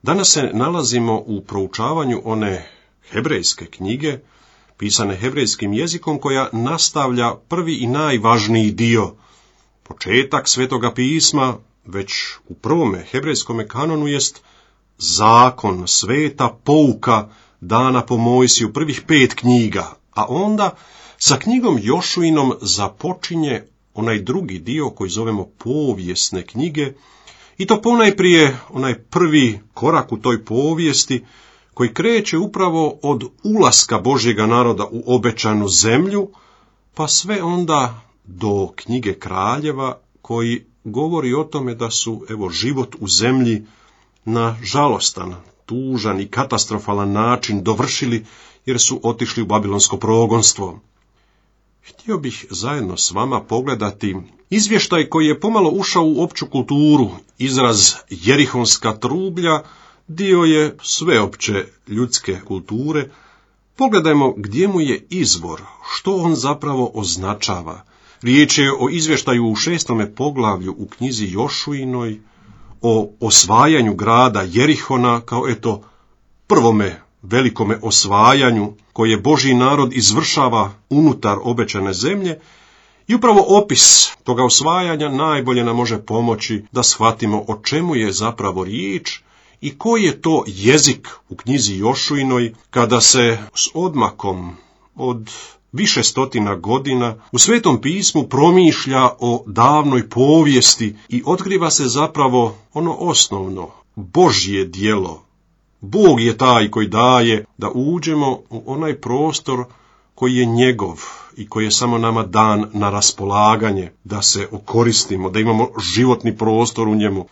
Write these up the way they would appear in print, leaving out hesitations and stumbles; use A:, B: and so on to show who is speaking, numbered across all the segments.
A: Danas se nalazimo u proučavanju one hebrejske knjige, pisane hebrejskim jezikom, koja nastavlja prvi i najvažniji dio, početak Svetoga pisma, već u prvome hebrejskome kanonu jest zakon, sveta pouka dana po Mojsiju, prvih 5 knjiga, a onda sa knjigom Jošuinom započinje onaj drugi dio koji zovemo povijesne knjige, i to ponajprije onaj prvi korak u toj povijesti koji kreće upravo od ulaska Božjega naroda u obećanu zemlju, pa sve onda do knjige Kraljeva, koji govori o tome da su život u zemlji na žalostan, tužan i katastrofalan način dovršili jer su otišli u babilonsko progonstvo. Htio bih zajedno s vama pogledati izvještaj koji je pomalo ušao u opću kulturu. Izraz jerihonska trublja dio je sveopće ljudske kulture. Pogledajmo gdje mu je izvor, što on zapravo označava. Riječ je o izvještaju u 6. poglavlju u knjizi Jošuinoj, o osvajanju grada Jerihona kao prvome velikome osvajanju koje Božji narod izvršava unutar obećane zemlje, i upravo opis toga osvajanja najbolje nam može pomoći da shvatimo o čemu je zapravo riječ i koji je to jezik u knjizi Jošuinoj, kada se s odmakom od više stotina godina u Svetom pismu promišlja o davnoj povijesti i otkriva se zapravo ono osnovno, Božje djelo. Bog je taj koji daje da uđemo u onaj prostor koji je njegov i koji je samo nama dan na raspolaganje, da se okoristimo, da imamo životni prostor u njemu.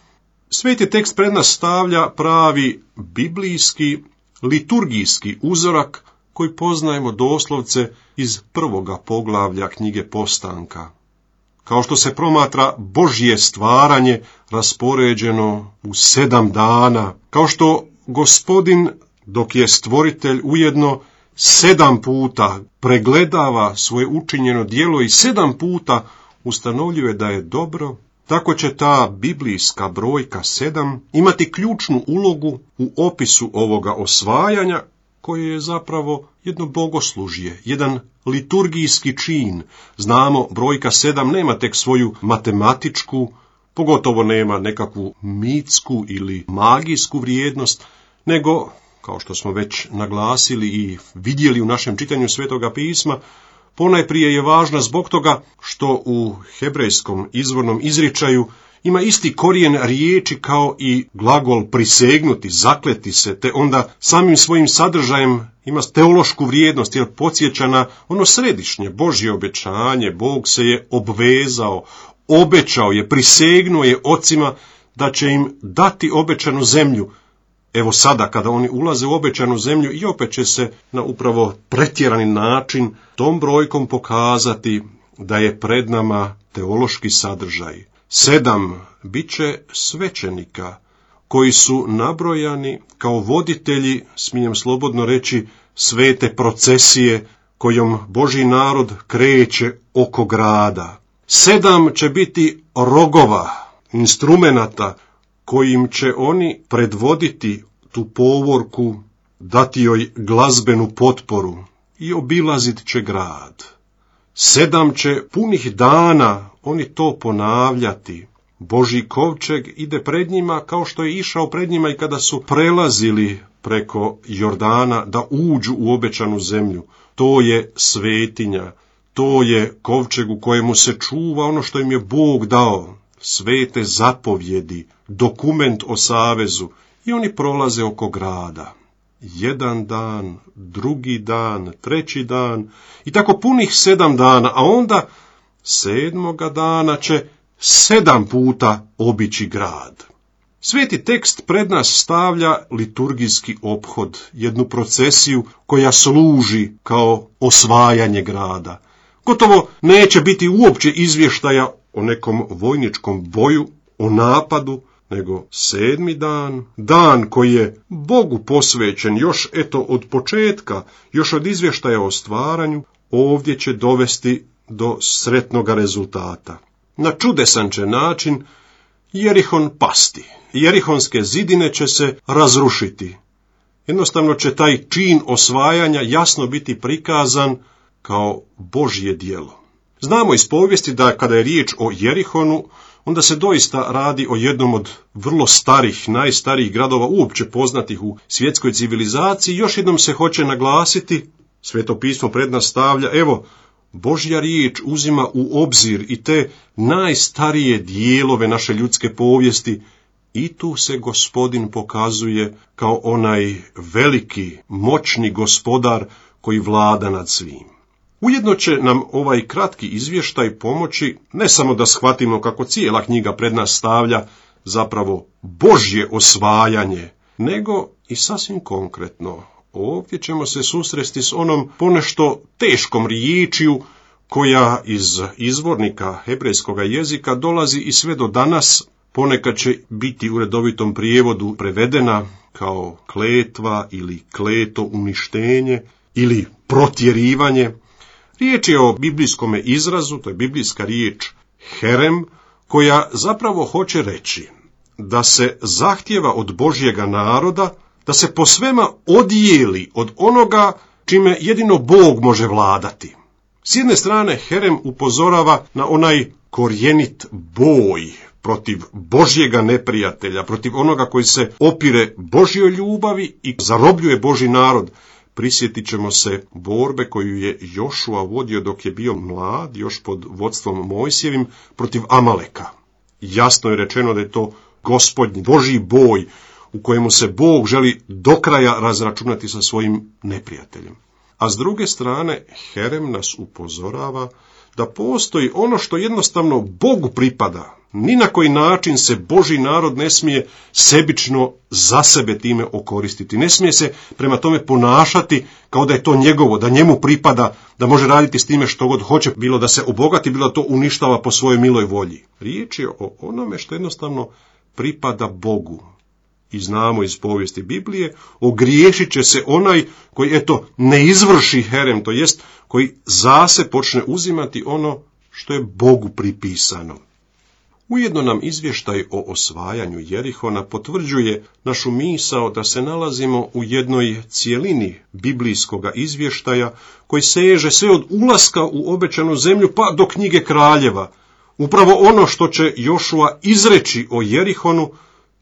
A: Sveti tekst pred nas stavlja pravi biblijski, liturgijski uzorak koji poznajemo doslovce iz 1. poglavlja knjige Postanka. Kao što se promatra Božje stvaranje raspoređeno u 7 dana, kao što Gospodin, dok je stvoritelj, ujedno 7 puta pregledava svoje učinjeno djelo i 7 puta ustanovljuje da je dobro, tako će ta biblijska brojka 7 imati ključnu ulogu u opisu ovoga osvajanja, koje je zapravo jedno bogoslužje, jedan liturgijski čin. Znamo, brojka 7 nema tek svoju matematičku, pogotovo nema nekakvu mitsku ili magijsku vrijednost, nego, kao što smo već naglasili i vidjeli u našem čitanju Svetoga pisma, ponajprije je važna zbog toga što u hebrejskom izvornom izričaju ima isti korijen riječi kao i glagol prisegnuti, zakleti se, te onda samim svojim sadržajem ima teološku vrijednost, jer podsjeća na ono središnje Božje obećanje. Bog se je obvezao, obećao je, prisegnuo je ocima da će im dati obećanu zemlju. Evo sada, kada oni ulaze u obećanu zemlju, i opet će se na upravo pretjerani način tom brojkom pokazati da je pred nama teološki sadržaj. 7 bit će svećenika koji su nabrojani kao voditelji, smijem slobodno reći, svete procesije kojom Božji narod kreće oko grada. 7 će biti rogova, instrumenata kojim će oni predvoditi tu povorku, dati joj glazbenu potporu i obilazit će grad. 7 će punih dana oni to ponavljati. Božji kovčeg ide pred njima kao što je išao pred njima i kada su prelazili preko Jordana da uđu u obećanu zemlju. To je svetinja, to je kovčeg u kojemu se čuva ono što im je Bog dao, svete zapovjedi, dokument o savezu, i oni prolaze oko grada. 1 dan, 2. dan, 3. dan i tako punih 7 dana, a onda 7. dana će 7 puta obići grad. Sveti tekst pred nas stavlja liturgijski ophod, jednu procesiju koja služi kao osvajanje grada. Gotovo neće biti uopće izvještaja o nekom vojničkom boju, o napadu, nego 7. dan, dan koji je Bogu posvećen još od početka, još od izvještaja o stvaranju, ovdje će dovesti do sretnoga rezultata. Na čudesan će način Jerihon pasti. Jerihonske zidine će se razrušiti. Jednostavno će taj čin osvajanja jasno biti prikazan kao Božje djelo. Znamo iz povijesti da kada je riječ o Jerihonu, onda se doista radi o jednom od vrlo starih, najstarijih gradova uopće poznatih u svjetskoj civilizaciji. Još jednom se hoće naglasiti, Sveto pismo pred nas stavlja, evo, Božja riječ uzima u obzir i te najstarije dijelove naše ljudske povijesti, i tu se Gospodin pokazuje kao onaj veliki, moćni gospodar koji vlada nad svim. Ujedno će nam ovaj kratki izvještaj pomoći ne samo da shvatimo kako cijela knjiga pred nas stavlja zapravo Božje osvajanje, nego i sasvim konkretno. Ovdje ćemo se susresti s onom ponešto teškom riječju koja iz izvornika hebrejskog jezika dolazi i sve do danas. Ponekad će biti u redovitom prijevodu prevedena kao kletva ili kleto uništenje ili protjerivanje. Riječ je o biblijskom izrazu, to je biblijska riječ herem, koja zapravo hoće reći da se zahtjeva od Božjega naroda da se po svema odijeli od onoga čime jedino Bog može vladati. S jedne strane herem upozorava na onaj korjenit boj protiv Božjega neprijatelja, protiv onoga koji se opire Božjoj ljubavi i zarobljuje Božji narod. Prisjetit ćemo se borbe koju je Jošua vodio dok je bio mlad, još pod vodstvom Mojsijevim, protiv Amaleka. Jasno je rečeno da je to Gospodnji Božji boj u kojemu se Bog želi do kraja razračunati sa svojim neprijateljem. A s druge strane, herem nas upozorava da postoji ono što jednostavno Bogu pripada. Ni na koji način se Božji narod ne smije sebično za sebe time okoristiti. Ne smije se prema tome ponašati kao da je to njegovo, da njemu pripada, da može raditi s time što god hoće, bilo da se obogati, bilo da to uništava po svojoj miloj volji. Riječ je o onome što jednostavno pripada Bogu. I znamo iz povijesti Biblije, ogriješit će se onaj koji, ne izvrši herem, to jest koji zase počne uzimati ono što je Bogu pripisano. Ujedno nam izvještaj o osvajanju Jerihona potvrđuje našu misao da se nalazimo u jednoj cjelini biblijskoga izvještaja koji seže sve od ulaska u obećanu zemlju pa do knjige kraljeva. Upravo ono što će Jošua izreći o Jerihonu,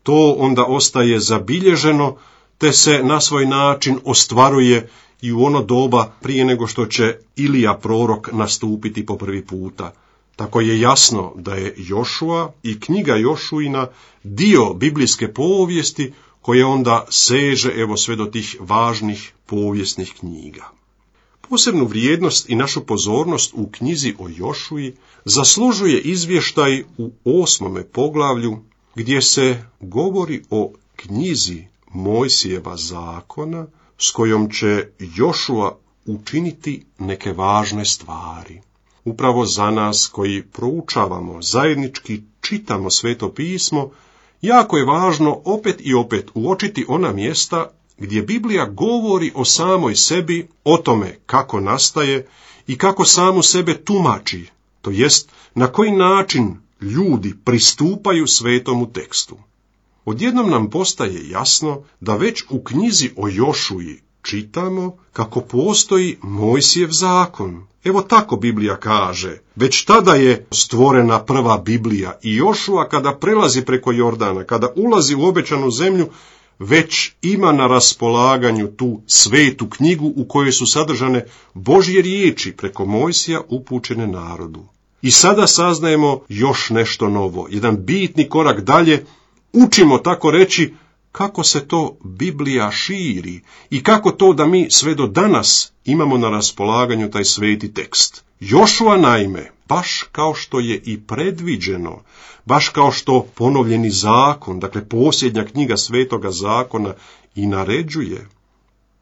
A: to onda ostaje zabilježeno, te se na svoj način ostvaruje i u ono doba prije nego što će Ilija prorok nastupiti po prvi puta. Tako je jasno da je Jošua i knjiga Jošuina dio biblijske povijesti koje onda seže sve do tih važnih povijesnih knjiga. Posebnu vrijednost i našu pozornost u knjizi o Jošui zaslužuje izvještaj u 8. poglavlju gdje se govori o knjizi Mojsijeva zakona s kojom će Jošua učiniti neke važne stvari. Upravo za nas koji proučavamo, zajednički čitamo Sveto pismo, jako je važno opet i opet uočiti ona mjesta gdje Biblija govori o samoj sebi, o tome kako nastaje i kako samu sebe tumači, to jest na koji način ljudi pristupaju svetomu tekstu. Odjednom nam postaje jasno da već u knjizi o Jošui čitamo kako postoji Mojsijev zakon. Evo tako Biblija kaže, već tada je stvorena prva Biblija i Jošua kada prelazi preko Jordana, kada ulazi u obećanu zemlju, već ima na raspolaganju tu svetu knjigu u kojoj su sadržane Božje riječi preko Mojsija upućene narodu. I sada saznajemo još nešto novo, jedan bitni korak dalje, učimo tako reći kako se to Biblija širi i kako to da mi sve do danas imamo na raspolaganju taj sveti tekst. Jošua naime, baš kao što je i predviđeno, baš kao što ponovljeni zakon, dakle posljednja knjiga svetoga zakona i naređuje,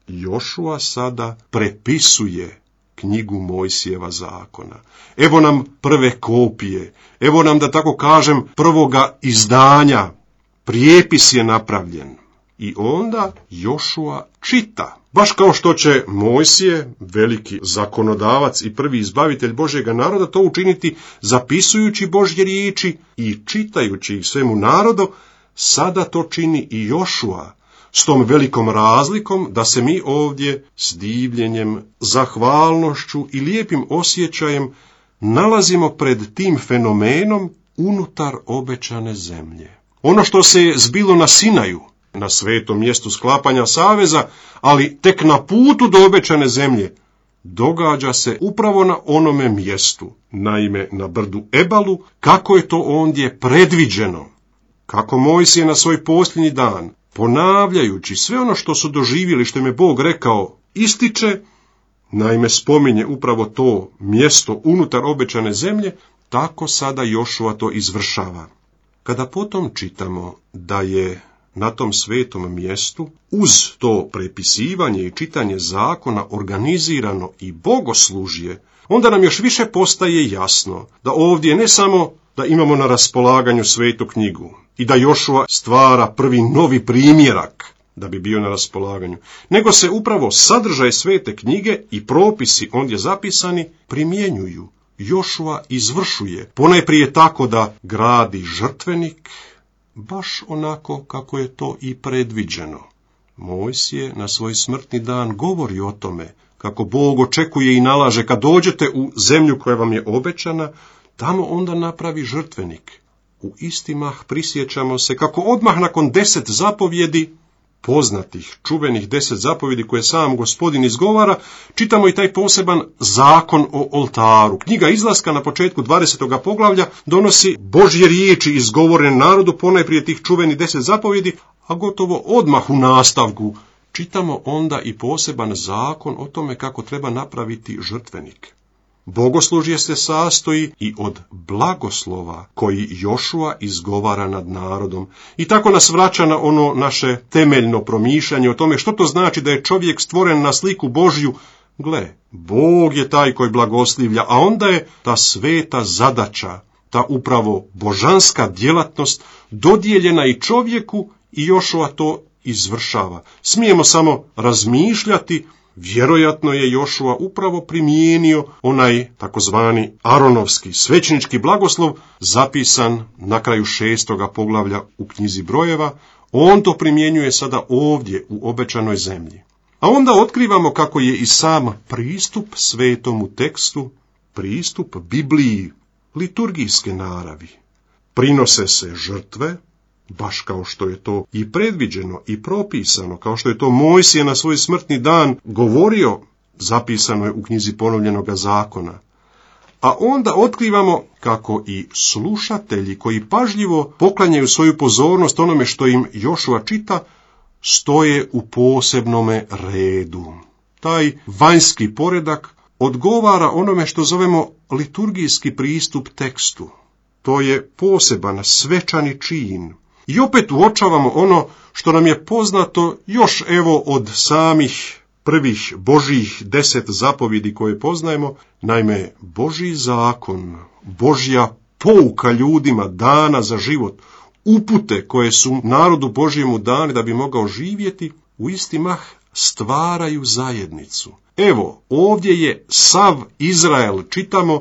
A: Jošua sada prepisuje knjigu Mojsijeva zakona. Evo nam prve kopije, evo nam, da tako kažem, prvoga izdanja, prijepis je napravljen. I onda Jošua čita. Baš kao što će Mojsije, veliki zakonodavac i prvi izbavitelj Božjega naroda, to učiniti zapisujući Božje riječi i čitajući ih svemu narodu, sada to čini i Jošua, s tom velikom razlikom da se mi ovdje s divljenjem, zahvalnošću i lijepim osjećajem nalazimo pred tim fenomenom unutar obećane zemlje. Ono što se je zbilo na Sinaju, na svetom mjestu sklapanja saveza, ali tek na putu do obećane zemlje, događa se upravo na onome mjestu, naime na brdu Ebalu, kako je to ondje predviđeno. Kako Mojsije na svoj posljednji dan, ponavljajući sve ono što su doživjeli, što im je Bog rekao, ističe, naime spominje upravo to mjesto unutar obećane zemlje, tako sada Jošua to izvršava. Kada potom čitamo da je na tom svetom mjestu, uz to prepisivanje i čitanje zakona organizirano i bogoslužje, onda nam još više postaje jasno da ovdje ne samo da imamo na raspolaganju svetu knjigu i da Jošua stvara prvi novi primjerak da bi bio na raspolaganju, nego se upravo sadržaj svete knjige i propisi ondje zapisani primjenjuju. Jošua izvršuje, ponajprije tako da gradi žrtvenik, baš onako kako je to i predviđeno. Mojsije na svoj smrtni dan govori o tome kako Bog očekuje i nalaže kad dođete u zemlju koja vam je obećana, tamo onda napravi žrtvenik. U isti mah prisjećamo se kako odmah nakon 10 zapovjedi, poznatih, čuvenih 10 zapovjedi koje sam Gospodin izgovara, čitamo i taj poseban zakon o oltaru. Knjiga Izlaska na početku 20. poglavlja donosi Božje riječi izgovorene narodu, ponajprije tih čuvenih 10 zapovjedi, a gotovo odmah u nastavku čitamo onda i poseban zakon o tome kako treba napraviti žrtvenik. Bogoslužje se sastoji i od blagoslova koji Jošua izgovara nad narodom. I tako nas vraća na ono naše temeljno promišljanje o tome što to znači da je čovjek stvoren na sliku Božju. Gle, Bog je taj koji blagoslivlja, a onda je ta sveta zadaća, ta upravo božanska djelatnost dodijeljena i čovjeku i Jošua to izvršava. Smijemo samo razmišljati. Vjerojatno je Jošua upravo primijenio onaj takozvani Aronovski svećenički blagoslov zapisan na kraju 6. poglavlja u knjizi Brojeva. On to primjenjuje sada ovdje u obećanoj zemlji. A onda otkrivamo kako je i sam pristup svetomu tekstu, pristup Bibliji, liturgijske naravi. Prinose se žrtve, baš kao što je to i predviđeno i propisano, kao što je to Mojsije na svoj smrtni dan govorio, zapisano je u knjizi ponovljenoga zakona. A onda otkrivamo kako i slušatelji koji pažljivo poklanjaju svoju pozornost onome što im Jošua čita, stoje u posebnome redu. Taj vanjski poredak odgovara onome što zovemo liturgijski pristup tekstu. To je poseban svečani čin. I opet uočavamo ono što nam je poznato još evo od samih prvih Božjih 10 zapovjedi koje poznajemo. Naime, Božji zakon, Božja pouka ljudima dana za život, upute koje su narodu Božjemu dane da bi mogao živjeti, u isti mah stvaraju zajednicu. Evo, ovdje je sav Izrael, čitamo,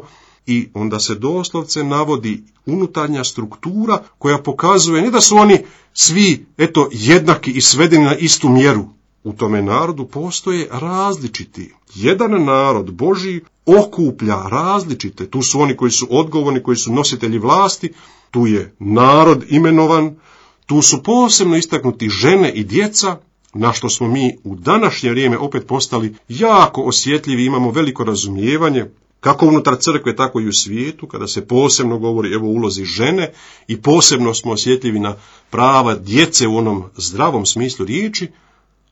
A: i onda se doslovce navodi unutarnja struktura koja pokazuje ne da su oni svi jednaki i svedeni na istu mjeru. U tome narodu postoje različiti. Jedan narod Božji okuplja različite. Tu su oni koji su odgovorni, koji su nositelji vlasti, tu je narod imenovan, tu su posebno istaknuti žene i djeca, na što smo mi u današnje vrijeme opet postali jako osjetljivi, imamo veliko razumijevanje, kako unutar crkve, tako i u svijetu, kada se posebno govori o ulozi žene i posebno smo osjetljivi na prava djece u onom zdravom smislu riječi,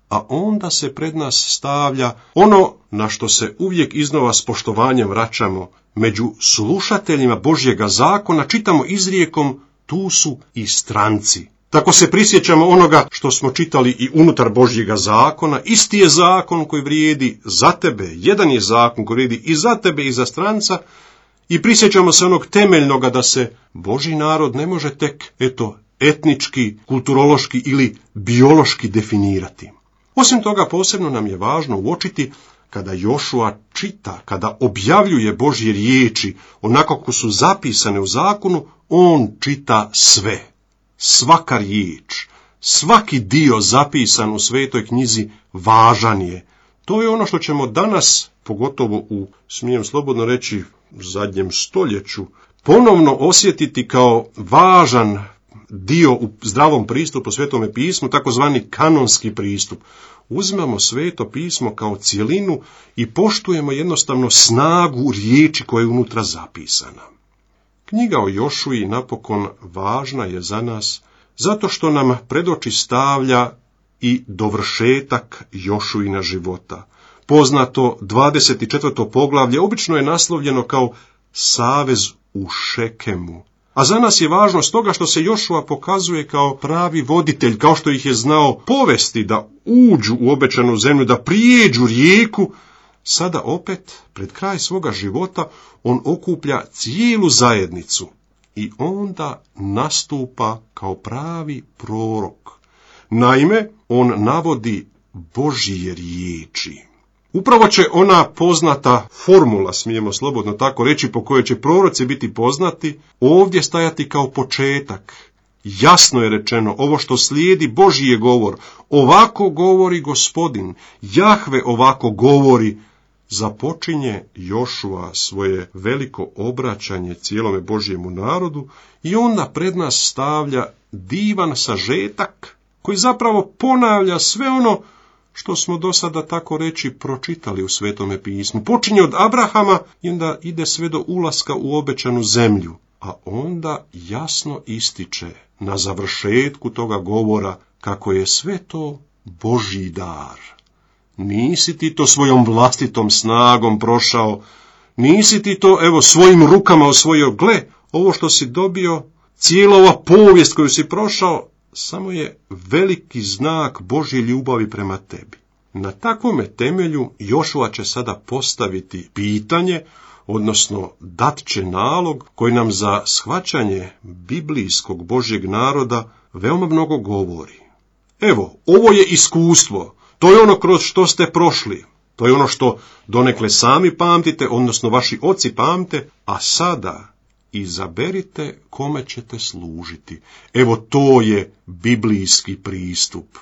A: a onda se pred nas stavlja ono na što se uvijek iznova s poštovanjem vraćamo. Među slušateljima Božjega zakona čitamo izrijekom, tu su i stranci. Tako se prisjećamo onoga što smo čitali i unutar Božjega zakona. Isti je zakon koji vrijedi za tebe, jedan je zakon koji vrijedi i za tebe i za stranca, i prisjećamo se onog temeljnoga da se Božji narod ne može tek, etnički, kulturološki ili biološki definirati. Osim toga, posebno nam je važno uočiti kada Jošua čita, kada objavljuje Božje riječi, onako kako su zapisane u zakonu, on čita sve. Svaka riječ, svaki dio zapisan u Svetoj knjizi važan je. To je ono što ćemo danas, pogotovo u, smijem slobodno reći, zadnjem stoljeću, ponovno osjetiti kao važan dio u zdravom pristupu Svetome pismu, takozvani kanonski pristup. Uzimamo Sveto pismo kao cjelinu i poštujemo jednostavno snagu riječi koja je unutra zapisana. Knjiga o Jošuji napokon važna je za nas zato što nam pred oči stavlja i dovršetak Jošuina života. Poznato 24. poglavlje obično je naslovljeno kao savez u Šekemu. A za nas je važno stoga što se Jošua pokazuje kao pravi voditelj, kao što ih je znao povesti da uđu u obećanu zemlju, da prijeđu rijeku. Sada opet, pred kraj svoga života, on okuplja cijelu zajednicu i onda nastupa kao pravi prorok. Naime, on navodi Božje riječi. Upravo će ona poznata formula, smijemo slobodno tako reći, po kojoj će proroci biti poznati, ovdje stajati kao početak. Jasno je rečeno, ovo što slijedi Božji je govor. Ovako govori Gospodin, Jahve ovako govori. Započinje Jošua svoje veliko obraćanje cijelome Božjemu narodu i onda pred nas stavlja divan sažetak koji zapravo ponavlja sve ono što smo do sada tako reći pročitali u Svetome pismu. Počinje od Abrahama i onda ide sve do ulaska u obećanu zemlju, a onda jasno ističe na završetku toga govora kako je sve to Božji dar. Nisi ti to svojom vlastitom snagom prošao, nisi ti to svojim rukama osvojio, gle, ovo što si dobio, cijela ova povijest koju si prošao, samo je veliki znak Božje ljubavi prema tebi. Na takvome temelju Jošua će sada postaviti pitanje, odnosno dat će nalog koji nam za shvaćanje biblijskog Božjeg naroda veoma mnogo govori. Evo, ovo je iskustvo, to je ono kroz što ste prošli, to je ono što donekle sami pamtite, odnosno vaši oci pamte, a sada izaberite kome ćete služiti. Evo to je biblijski pristup.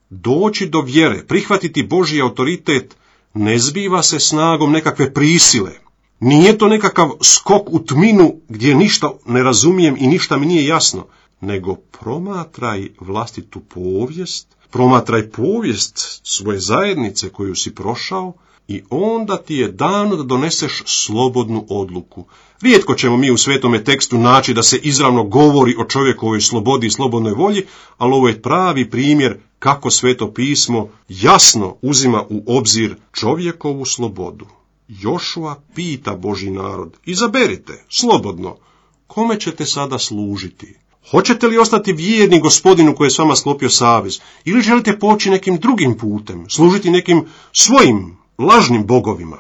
A: Doći do vjere, prihvatiti Božji autoritet, ne zbiva se snagom nekakve prisile. Nije to nekakav skok u tminu gdje ništa ne razumijem i ništa mi nije jasno, nego promatraj vlastitu povijest, promatraj povijest svoje zajednice koju si prošao i onda ti je dano da doneseš slobodnu odluku. Rijetko ćemo mi u svetome tekstu naći da se izravno govori o čovjekovoj slobodi i slobodnoj volji, ali ovo je pravi primjer kako Sveto pismo jasno uzima u obzir čovjekovu slobodu. Jošua pita Božji narod, izaberite, slobodno, kome ćete sada služiti? Hoćete li ostati vjerni Gospodinu koji je s vama sklopio savez, ili želite poći nekim drugim putem, služiti nekim svojim lažnim bogovima?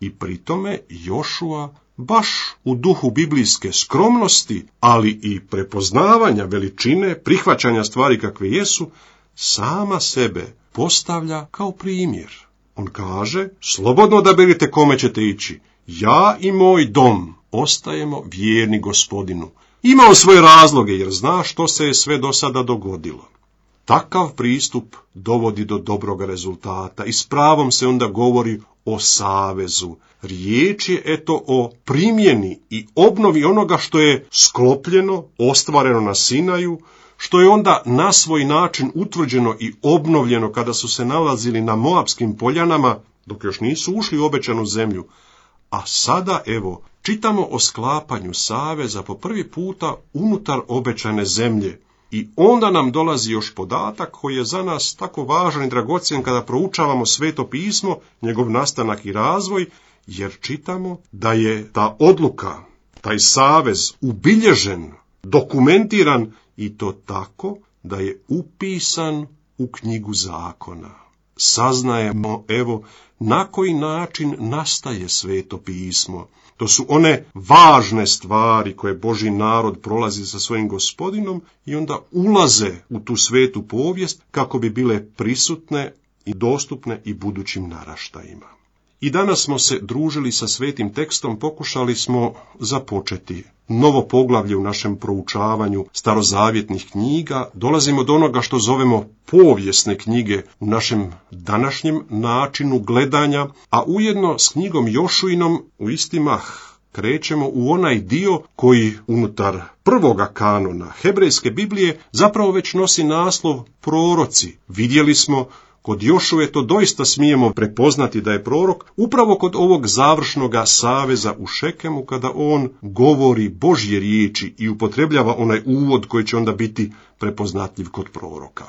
A: I pri tome Jošua, baš u duhu biblijske skromnosti, ali i prepoznavanja veličine, prihvaćanja stvari kakve jesu, sama sebe postavlja kao primjer. On kaže, slobodno odaberite kome ćete ići. Ja i moj dom ostajemo vjerni Gospodinu. Ima on svoje razloge jer zna što se je sve do sada dogodilo. Takav pristup dovodi do dobroga rezultata i s pravom se onda govori o savezu. Riječ je o primjeni i obnovi onoga što je sklopljeno, ostvareno na Sinaju, što je onda na svoj način utvrđeno i obnovljeno kada su se nalazili na Moabskim poljanama, dok još nisu ušli u obećanu zemlju. A sada, čitamo o sklapanju saveza po prvi puta unutar obećane zemlje. I onda nam dolazi još podatak koji je za nas tako važan i dragocjen kada proučavamo Sveto pismo, njegov nastanak i razvoj, jer čitamo da je ta odluka, taj savez ubilježen, dokumentiran i to tako da je upisan u knjigu zakona. saznajemo, evo, na koji način nastaje Sveto pismo. To su one važne stvari koje Božji narod prolazi sa svojim Gospodinom i onda ulaze u tu svetu povijest kako bi bile prisutne i dostupne i budućim naraštajima. I danas smo se družili sa svetim tekstom, pokušali smo započeti novo poglavlje u našem proučavanju starozavjetnih knjiga. Dolazimo do onoga što zovemo povijesne knjige u našem današnjem načinu gledanja, a ujedno s knjigom Jošuinom u isti mah krećemo u onaj dio koji unutar prvoga kanona hebrejske Biblije zapravo već nosi naslov proroci. Vidjeli smo kod Jošue to doista smijemo prepoznati da je prorok upravo kod ovog završnoga saveza u Šekemu, kada on govori Božje riječi i upotrebljava onaj uvod koji će onda biti prepoznatljiv kod proroka.